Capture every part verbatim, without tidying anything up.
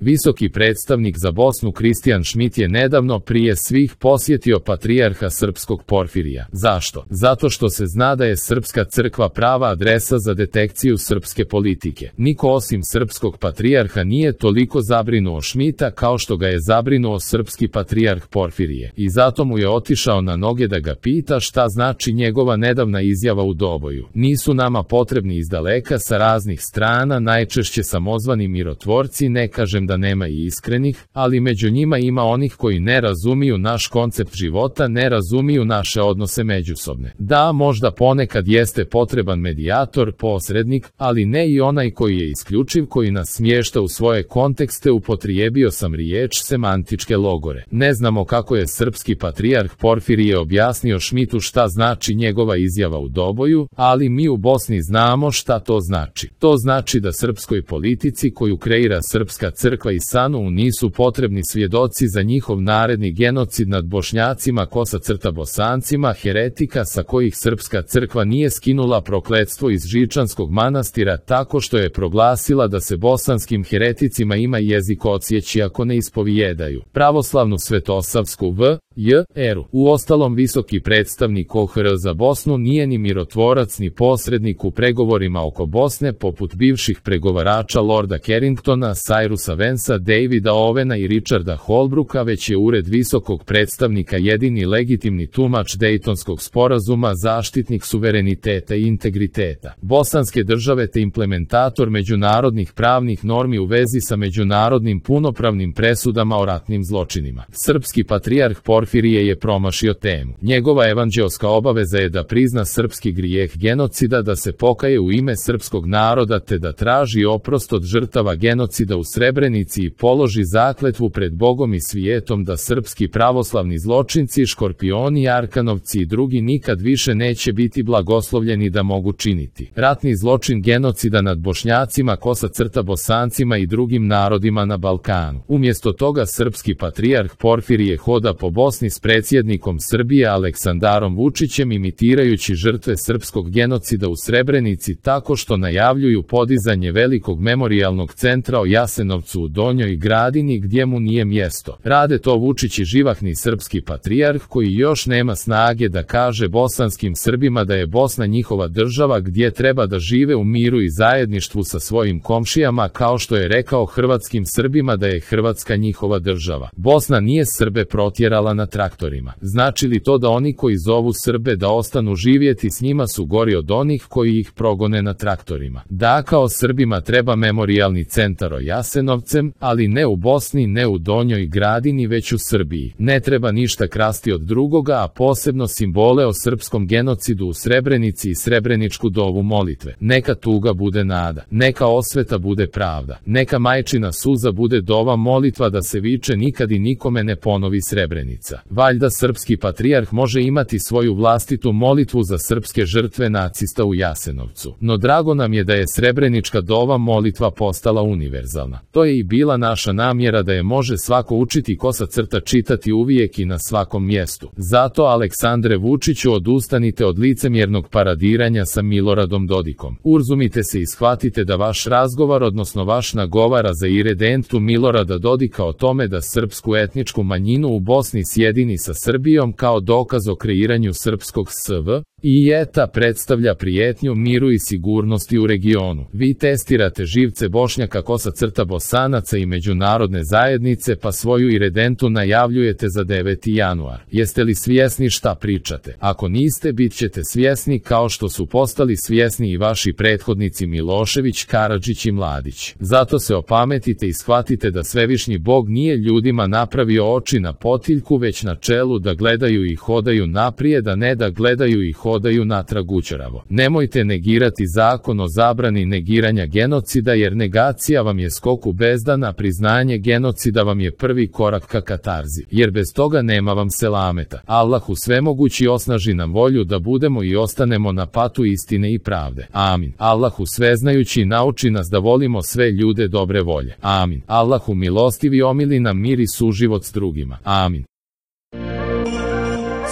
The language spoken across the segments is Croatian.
Visoki predstavnik za Bosnu Kristijan Šmit je nedavno prije svih posjetio patrijarha srpskog Porfirija. Zašto? Zato što se zna da je srpska crkva prava adresa za detekciju srpske politike. Niko osim srpskog patrijarha nije toliko zabrinuo Šmita kao što ga je zabrinuo srpski patrijarh Porfirije. I zato mu je otišao na noge da ga pita šta znači njegova nedavna izjava u Doboju. Nisu nama potrebni izdaleka sa raznih strana, najčešće samozvani mirotvorci, ne kažem da nema i iskrenih, ali među njima ima onih koji ne razumiju naš koncept života, ne razumiju naše odnose međusobne. Da, možda ponekad jeste potreban medijator, posrednik, ali ne i onaj koji je isključiv, koji nas smješta u svoje kontekste. Upotrijebio sam riječ semantičke logore. Ne znamo kako je srpski patrijarh Porfirije objasnio Šmitu šta znači njegova izjava u Doboju, ali mi u Bosni znamo šta to znači. To znači da srpskoj politici koju kreira srpska crkva i S A N U nisu potrebni svjedoci za njihov naredni genocid nad Bošnjacima, kosa crta Bosancima, heretika sa kojih srpska crkva nije skinula prokletstvo iz Žičanskog manastira tako što je proglasila da se bosanskim hereticima ima jezik odsjeći ako ne ispovijedaju pravoslavnu svetosavsku v. J. eru. Uostalom, visoki predstavnik O H R za Bosnu nije ni mirotvorac ni posrednik u pregovorima oko Bosne poput bivših pregovarača Lorda Carringtona, Cyrusa Vansa, Davida Owena i Richarda Holbrooka, već je ured visokog predstavnika jedini legitimni tumač Dejtonskog sporazuma, zaštitnik suvereniteta i integriteta bosanske države te implementator međunarodnih pravnih normi u vezi sa međunarodnim punopravnim presudama o ratnim zločinima. Srpski patrijarh Porfirije je promašio temu. Njegova evanđeoska obaveza je da prizna srpski grijeh genocida, da se pokaje u ime srpskog naroda te da traži oprost od žrtava genocida u Srebrenici i položi zakletvu pred Bogom i svijetom da srpski pravoslavni zločinci, škorpioni, arkanovci i drugi nikad više neće biti blagoslovljeni da mogu činiti ratni zločin genocida nad Bošnjacima, kosa crta Bosancima i drugim narodima na Balkanu. Umjesto toga srpski patrijarh Porfirije hoda po Bosni s predsjednikom Srbije Aleksandarom Vučićem, imitirajući žrtve srpskog genocida u Srebrenici tako što najavljuju podizanje velikog memorijalnog centra o Jasenovcu u Donjoj Gradini gdje mu nije mjesto. Rade to Vučić i živahni srpski patrijarh koji još nema snage da kaže bosanskim Srbima da je Bosna njihova država gdje treba da žive u miru i zajedništvu sa svojim komšijama, kao što je rekao hrvatskim Srbima da je Hrvatska njihova država. Bosna nije Srbe protjerala na traktorima. Znači li to da oni koji zovu Srbe da ostanu živjeti s njima su gori od onih koji ih progone na traktorima? Da, kao Srbima treba memorijalni centar o Jasenovcem, ali ne u Bosni, ne u Donjoj Gradini, već u Srbiji. Ne treba ništa krasti od drugoga, a posebno simbole o srpskom genocidu u Srebrenici i srebreničku dovu molitve. Neka tuga bude nada, neka osveta bude pravda, neka majčina suza bude dova molitva da se viče nikad i nikome ne ponovi Srebrenica. Valjda srpski patrijarh može imati svoju vlastitu molitvu za srpske žrtve nacista u Jasenovcu. No drago nam je da je srebrenička dova molitva postala univerzalna. To je i bila naša namjera, da je može svako učiti, kosa crta čitati uvijek i na svakom mjestu. Zato, Aleksandre Vučiću, odustanite od licemjernog paradiranja sa Miloradom Dodikom. Urzumite se i shvatite da vaš razgovor, odnosno vaš nagovara za iredentu Milorada Dodika o tome da srpsku etničku manjinu u Bosni sjedini sa Srbijom kao dokaz o kreiranju srpskog S V i eta predstavlja prijetnju miru i sigurnosti u regionu. Vi testirate živce Bošnjaka, kosa crta Bosanaca i međunarodne zajednice, pa svoju iredentu najavljujete za deveti januar. Jeste li svjesni šta pričate? Ako niste, bit ćete svjesni, kao što su postali svjesni i vaši prethodnici Milošević, Karadžić i Mladić. Zato se opametite i shvatite da svevišnji Bog nije ljudima napravio oči na potiljku, već na čelu, da gledaju i hodaju naprijed, a ne da gledaju i hodaju natrag učaravo. Nemojte negirati zakon o zabrani negiranja genocida, jer negacija vam je skok u bezdan, a priznanje genocida vam je prvi korak ka katarzi, jer bez toga nema vam selameta. Allahu svemogući osnaži nam volju da budemo i ostanemo na patu istine i pravde. Amin. Allahu sveznajući nauči nas da volimo sve ljude dobre volje. Amin. Allahu milostivi omili nam mir i suživot s drugima. Amin.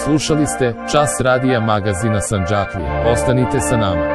Slušali ste Čas radija magazina Sandžaklije. Ostanite sa nama.